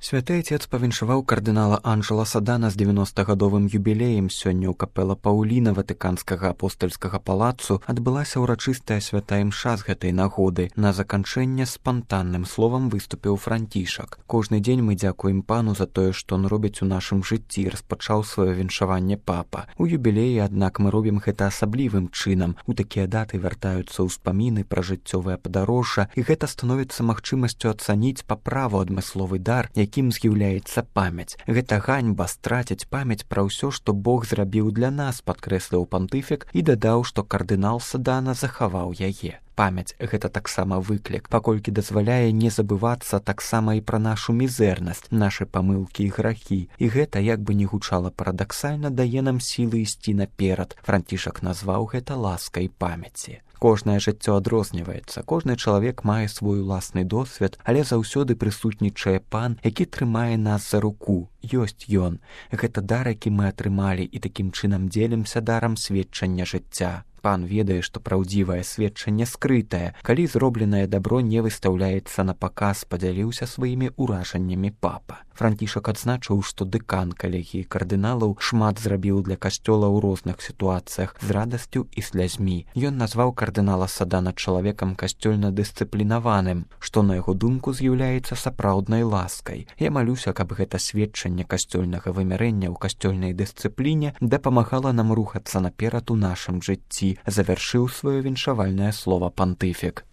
Святы Отец павіншаваў кардынала Анджела Садана з 90-гадовым юбілеем. Сёння ў капэла Паўліна Ватыканскага апостальскага палацу адбылася ўрачыстая святая імша з гэтай нагоды. На заканчэнне спантанным словам выступіў Францішак. Кожны дзень мы дзякуем пану за тое, што он робіць у нашым жыцці, распачаў сваё віншаванне папа. У юбілеі, аднак, мы робім гэта асаблівым чынам. У такія даты вяртаюцца ўспаміны пра жыццёвае падарожжа, і гэта становіцца магчымасцю ацаніць па праву адмысловы дар, якім з'яўляецца памяць. Гэта ганьба страціць памяць пра ўсё, што Бог зрабіў для нас, падкрэсліў пантыфік і дадаў, што кардынал Садана захаваў яе. Памяць — гэта таксама выклік, паколькі дазваляе не забывацца таксама і пра нашу мізэрнасць, нашы памылкі і грахі. І гэта, як бы не гучала парадаксальна, дае нам сілы ісці наперад. Францішак назваў гэта ласкай памяці. Кожнае жыццё адрозніваецца, кожны чалавек мае свой уласны досвед, але заўсёды прысутнічае пан, які трымае нас за руку. Ёсць ён. Гэта дар, які мы атрымалі, і такім чынам дзелімся дарам сведчання жыцця. Пан ведае, што праўдзівае сведчанне скрытае, калі зробленае дабро не выстаўляецца на паказ, падзяліўся сваімі ўражаннямі папа. Францішак адзначыў, што дэкан калегіі кардыналаў шмат зрабіў для касцёла ў розных сітуацыях з радасцю і слязьмі. Ён назваў кардынала Садана чалавекам касцёльна-дысцыплінаваным, што, на яго думку, з'яўляецца сапраўднай ласкай. Я малюся, каб гэта сведчанне касцёльнага вымярэння ў касцёльнай дысцыпліне дапамагала нам рухацца наперад у нашым жыцці, завяршыў сваё віншавальнае слова пантыфік.